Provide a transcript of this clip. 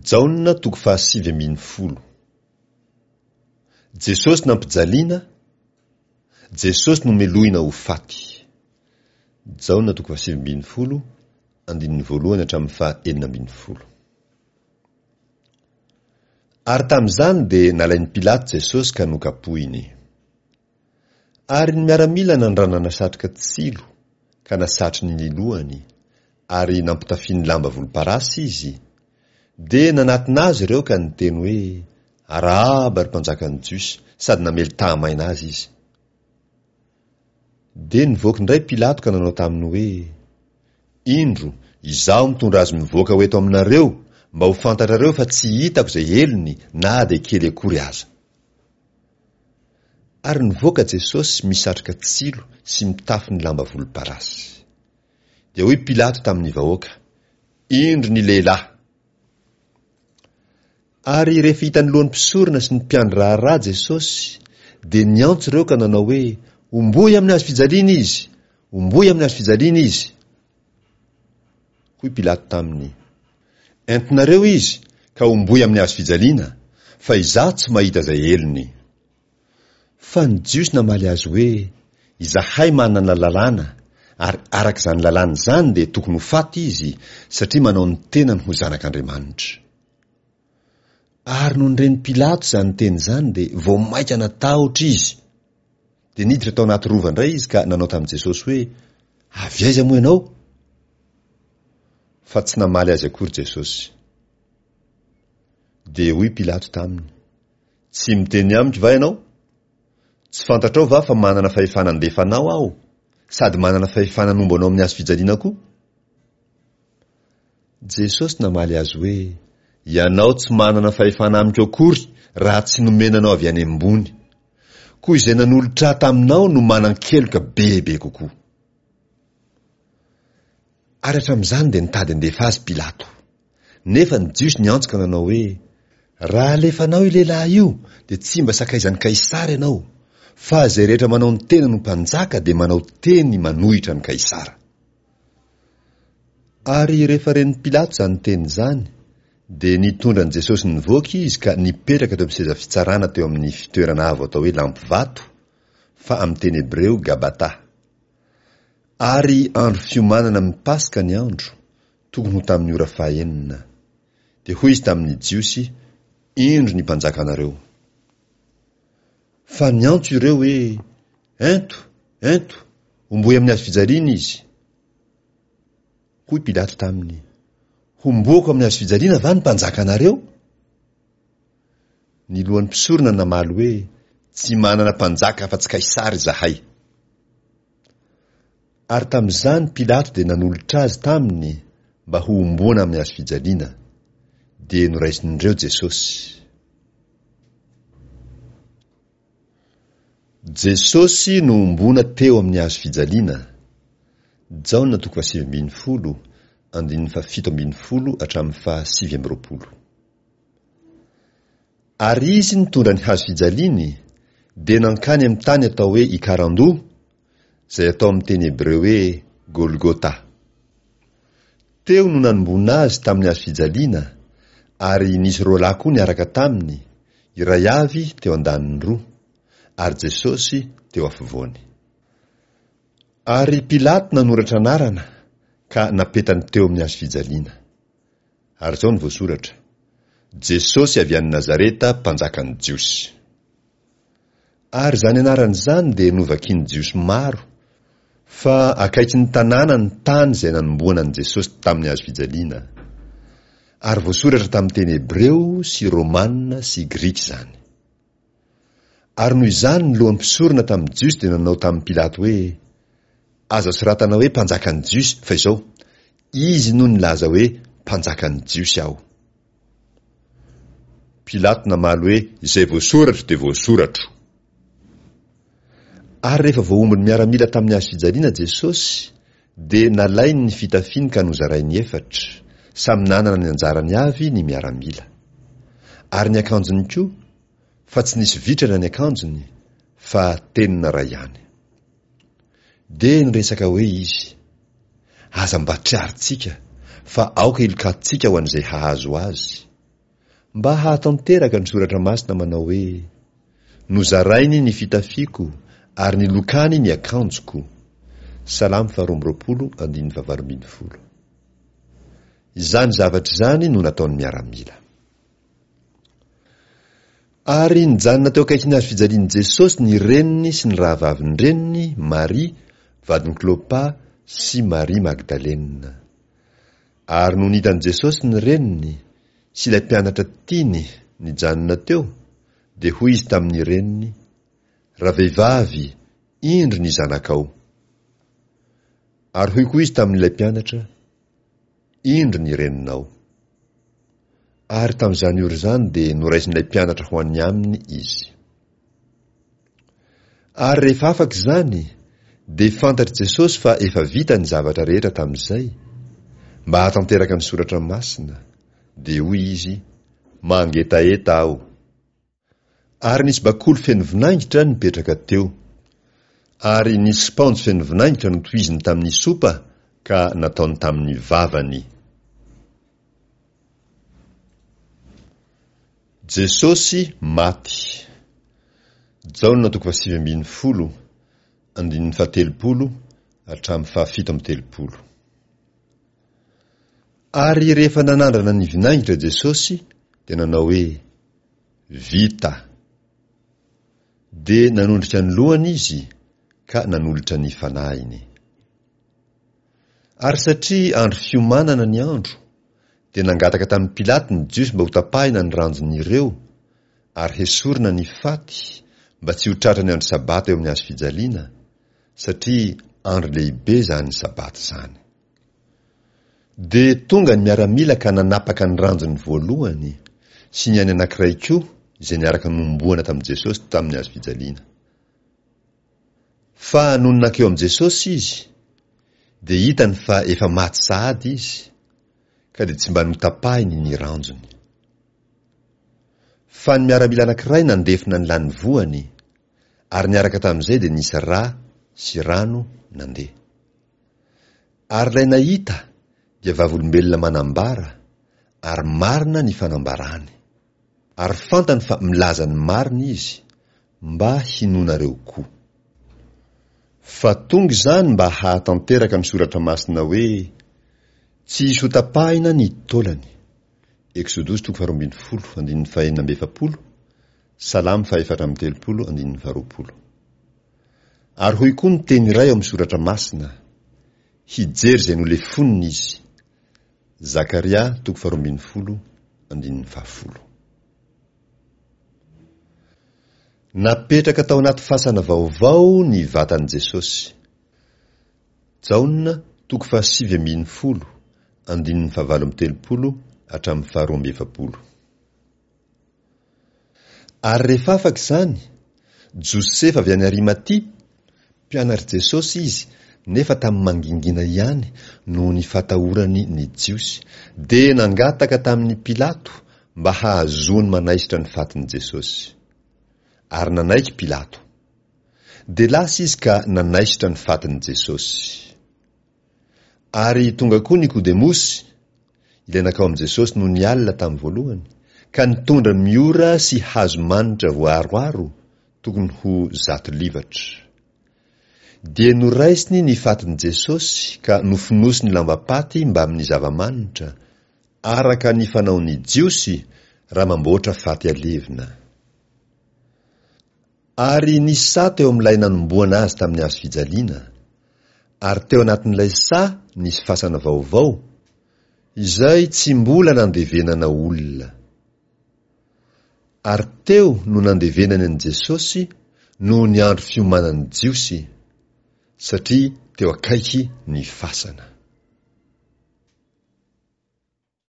Jaona toko fahasivy ambinifolo. Jesosy nampijaliana, Jesosy nomelohina ho faty. Jaona toko fahasivy ambinifolo, andininy voalohany hatramin'ny faha 16. Ary tamin'izany dia nalain'i Pilato Jesosy ka nokapohiny. Ary ny miaramila nandrandrana satroka tsilo ka nasatriny ny lohany, ary nampitafiany lamba volomparasy izy, dia nanatona azy ireo ka niteny hoe, Arahaba, ry mpanjakan'ny Jiosy, sady namely tahamaina azy izy. Dia nivoaka indray Pilato ka nanao taminy hoe, Indro, izaho mitondra azy mivoaka ho eto aminareo, mba ho fantatrareo fa tsy hitako izay helony na dia kely akory aza. Ary nivoaka Jesosy misatroka tsilo sy mitafy ny lamba volomparasy. Dia hoy Pilato tamin'ny vahoaka, Indro ny lehilahy! Ary rehefa hitan'ny lohan'ny mpisorona sy ny mpiandry raharaha Jesosy, dia niantso ireo ka nanao hoe, Homboy amin'ny hazo fijaliana izy! Homboy amin'ny hazo fijaliana izy! Hoy Pilato taminy, Entinareo izy ka homboy amin'ny hazo fijaliana, fa izaho tsy mahita izay helony. Fa ny Jiosy namaly azy hoe, Izahay manana lalàna, ary araka izany lalàna izany dia tokony ho faty izy, satria manao ny tenany ho Zanak'Andriamanitra. Ary nony ren'i Pilato izany teny izany dia vao mainka natahotra izy. Dia niditra tao anaty rova indray izy ka nanao tamin'i Jesosy hoe, Avy aiza moa ianao? Fa tsy namaly azy akory Jesosy. Dia hoy Pilato taminy, Tsy miteny amiko va ianao? Tsy fantatrao va fa manana fahefana handefa anao aho, sady manana fahefana hanombo anao amin'ny hazo fijaliana koa? Jesosy namaly azy hoe, Ianao tsy manana fahefana amiko akory raha tsy nomena anao avy any ambony. Koa izay nanolotra ahy taminao no manan-keloka bebe kokoa. Ary hatramin'izany dia nitady handefa azy Pilato. Nefa ny Jiosy niantso ka nanao hoe, Raha alefanao io lehilahy io, dia tsy mba sakaizan'i Kaisara ianao, fa izay rehetra manao ny tenany ho mpanjaka dia manao teny manohitra an'i Kaisara. Ary rehefa ren'i Pilato izany teny izany, dia nitondra an'i Jesosy nivoaka izy ka nipetraka teo amin'ny seza fitsarana teo amin'ny fitoerana avo atao hoe Lampivato, fa amin'ny teny hebreo Gabata. Ary andro fiomanana amin'ny Paska ny andro, tokony ho tamin'ny ora fahenina. Dia hoy izy tamin'ny Jiosy, Indro ny mpanjakanareo. Fa niantso ireo hoe, Ento, ento, homboy amin'ny hazo fijaliana izy. Hoy Pilato taminy, Homboako amin'ny hazo fijaliana va ny mpanjakanareo? Ny lohan'ny mpisorona namaly hoe, Tsy manana mpanjaka afa-tsy Kaisara izahay. Ary tamin'izany Pilato dia nanolotra azy taminy mba hohomboana amin'ny hazo fijaliana. Dia noraisin'ireo Jesosy. Jesosy nohomboana teo amin'ny hazo fijaliana, Jaona toko fahasivy ambinifolo, andininy fahafito ambinifolo hatramin'ny fahasivy amby roapolo. Ary izy nitondra ny hazo fijaliany, dia nankany amin'ny tany atao hoe Ikarandoha, izay atao amin'ny teny hebreo hoe Golgota. Teo no nanomboana azy tamin'ny hazo fijaliana, ary nisy roalahy koa niaraka taminy, iray avy teo andaniny roa, ary Jesosy teo afovoany. Ary Pilato nanoratra anarana ka napetany teo amin'ny hazo fijaliana. Ary izao no voasoratra, Jesosy avy any Nazareta, Mpanjakan'ny Jiosy. Ary izany anarana izany dia novakian'ny Jiosy maro, fa akaikin'ny tanàna ny tany izay nanombohana an'i Jesosy tamin'ny hazo fijaliana. Ary voasoratra tamin'ny teny hebreo sy romana sy grika izany. Ary noho izany ny lohan'ny mpisorona tamin'ny Jiosy dia nanao tamin'i Pilato hoe, Aza soratana hoe mpanjakan'ny Jiosy, fa izao, Izy no nilaza hoe mpanjakan'ny Jiosy aho. Pilato namaly hoe, Izay voasoratro dia voasoratro. Ary rehefa voahombon'ny miaramila tamin'ny hazo fijaliana Jesosy, dia nalainy ny fitafiany ka nozarainy efatra, samy nanana ny anjarany avy ny miaramila. Ary ny akanjony koa, fa tsy nisy vitrana ny akanjony, fa tenona iray ihany. Dia niresaka hoe izy, Aza mba triarintsika, fa aoka hilokantsika ho an'izay hahazo azy. Mba hahatanteraka ny Soratra Masina manao hoe, Nozarainy ny fitafiako ary nilokany ny akanjoko. Salamo faharoa amby roapolo andininy fahavalo ambin'ny folo. Izany zavatra izany no nataon'ny miaramila. Ary nijanona teo akaikin'ny hazo fijalian'i Jesosy ny reniny sy ny rahavavin-dreniny, Maria, vadin'i Klopa, sy Maria Magdalena. Ary nony hitan'i Jesosy ny reniny, sy ilay mpianatra tiany, nijanona teo, dia hoy izy tamin'ny reniny, Ravehivavy, indro ny zanakao. Ary hoy koa izy tamin'ilay mpianatra, Indro ny reninao. Ary tamin'izany ora izany dia noraisin'ilay mpianatra ho any aminy izy. Ary rehefa afaka izany, dia fantatr'i Jesosy fa efa vita ny zavatra rehetra tamin'izay, mba hahatanteraka ny soratra masina, dia hoy izy, Mangetaheta aho. Ary nisy bakoly feno vinaingitra nipetraka teo. Ary nisy spaonjy feno vinaingitra notohiziny tamin'ny sopa ka nataony tamin'ny vavany. Jesosy maty. Jaona toko fahasivy ambin'ny folo, andininy fahatelopolo hatramin'ny fahafito amby telopolo. Ary rehefa nanandrana ny vinaingitra Jesosy dia nanao hoe, Vita. Dia nanondrika ny lohany izy ka nanolotra ny fanahiny. Ary satria andro fiomanana ny andro, dia nangataka tamin'i Pilato ny Jiosy mba hotapahina ny ranjon'ireo, ary hesorina ny faty, mba tsy ho tratra ny andro Sabata eo amin'ny hazo fijaliana, satria andro lehibe izany Sabata izany. Dia tonga ny miaramila ka nanapaka ny ranjony voalohany, sy ny an'ny anankiray koa izay niaraka nohomboana tamin'i Jesosy tamin'ny hazo fijaliana. Fa nony nankeo amin'i Jesosy izy, dia hitany fa efa maty sahady izy, ka dia tsy mba notapahiny ny ranjony. Fa ny miaramila anankiray nandefona ny lanivoany, ary niaraka tamin'izay dia nisy ra sy rano nandeha. Ary ilay nahita dia vavolombelona manambara, ary marina ny fanambarany. Ary fantany fa milaza ny marina izy, mba hinoanareo koa. Fa tonga izany mba hahatanteraka ny Soratra Masina hoe, Tsy hisy hotapahina ny taolany. Eksodosy toko faharoa ambin'ny folo, andininy fahenina amby efapolo, Salamo fahefatra amby telopolo, andininy faharoapolo. Ary hoy koa ny teny iray ao amin'ny Soratra Masina, Hijery izay nolefonina izy. Zakaria toko faharoa ambin'ny folo, andininy fahafolo. Napetraka tao anaty fasana vaovao ny vatan'i Jesosy. Jaona toko fahasivy ambin'ny folo, andininy fahavalo amby telopolo hatramin'ny faharoa amby efapolo. Ary rehefa afaka izany, Josefa avy any Arimatia, mpianatr'i Jesosy izy, nefa tamin'ny mangingina ihany noho ny fatahorany ny Jiosy, dia nangataka tamin'i Pilato mba hahazoany manaisotra ny fatin'i Jesosy. Ary nanaiky Pilato. Dia lasa izy ka nanaisotra ny fatin'i Jesosy. Ary tonga koa Nikodemosy, ilay nankao amin'i Jesosy nony alina tamin'ny voalohany, ka nitondra miora sy hazo manitra voaaroaro, tokony ho zato livatra. Dia noraisiny ny fatin'i Jesosy ka nofonosiny lambam-paty mbamin'ny zava-manitra, araka ny fanaon'ny Jiosy raha mamboatra faty alevina. Ary nisy saha teo amin'ilay nanombohana azy tamin'ny hazo fijaliana, ary teo anatin'ilay saha nisy fasana vaovao, izay tsy mbola nandevenana olona. Ary teo no nandevenany an'i Jesosy noho ny andro fiomanan'ny Jiosy, satria teo akaiky ny fasana.